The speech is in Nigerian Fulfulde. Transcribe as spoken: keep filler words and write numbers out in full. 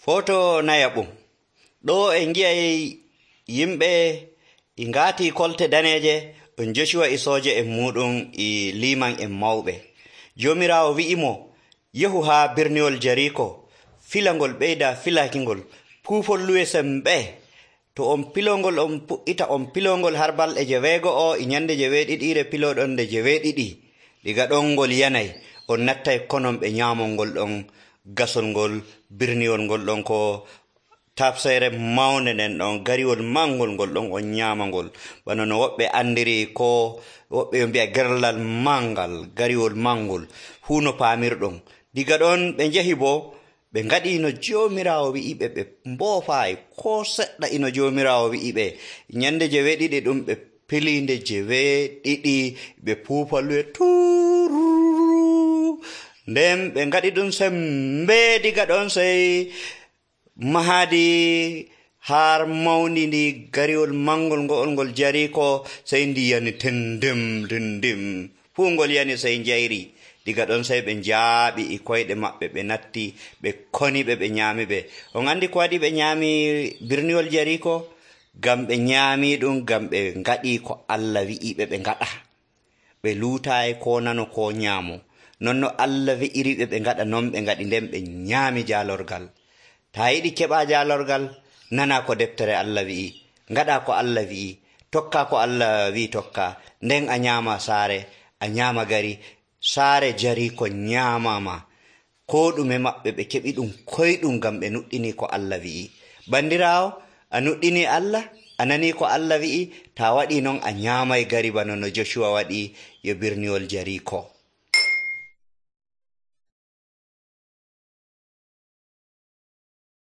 Foto nayaɓum. Ɗo en gi'ay yimɓe e ngaati kolte daneeje ɗum Joshua e sooje en muɗum e liman en mawɓe. Joomiraawo wi'imo yahu haa birniwol Jariko, filangol ɓeyda filakingol, puufolluwe sembe. To on pilongol on pu'ita on pilongol har balɗe jeweego'o e nyande jeweeɗiɗiire piloɗon nde jeweeɗiɗi. Diga ɗon ngol yanay on nattay konon ɓe nyaamol ngol ɗon gasol ngol birniwol ngol ɗon ko tafsere mawnde nden ɗon gariwol mangol ngol ɗon on nyaama ngol bana no woɓɓe andiri ko woɓɓe mbi'a gerlal mangal gariwol mangol fuu no paamirɗon. Diga ɗon ɓe njahi bo ɓe ngaɗi no Joomiraawo wi'iɓe, ɓe mboofaay ko seɗɗa ino Joomiraawo wi'iɓe. Nyande jeweeɗiɗi ɗum ɓe pilinde jeweeɗiɗi ɓe puufalluwe tuuruu. Nden ɓe ngaɗi ɗum sembe. Diga ɗon sey mahadi har mawni ndi gariwol mangol ngo'ol ngol Jariko sey ndi yani tendem tendem fuu ngol yani sey njayri. Diga ɗon sey ɓe njaaɓi e koyɗe maɓɓe, ɓe natti ɓe koni ɓe ɓe nyaami ɓe. On andi ko waɗi ɓe nyaami birniwol Jariko? Ngam ɓe nyaami ɗum ngam ɓe ngaɗi ko Allah wi'iɓe ɓe ngaɗa. Ɓe luutaayi ko nano ko nyaamo. Non no Allah wi'iri ɓe ɓe ngaɗa non ɓe ngaɗi, nden ɓe nyaami jaalorgal. Ta yiɗi keɓaa jaalorgal, nana ko deftere Allah wi'i, ngaɗa ko Allah wi'i, tokka ko Allah wi'i tokka, nden a nyaama saare, a nyaama gari. Saare Jariko nyaamama, ko ɗume maɓɓe ɓe keɓi ɗum koyɗum ngam ɓe nuɗɗini ko Allah wi'i. Bandiraawo, a nuɗɗini Allah, a nani ko Allah wi'i, ta waɗi non a nyaamay gari bana no Joshua waɗi yo birniwol Jariko.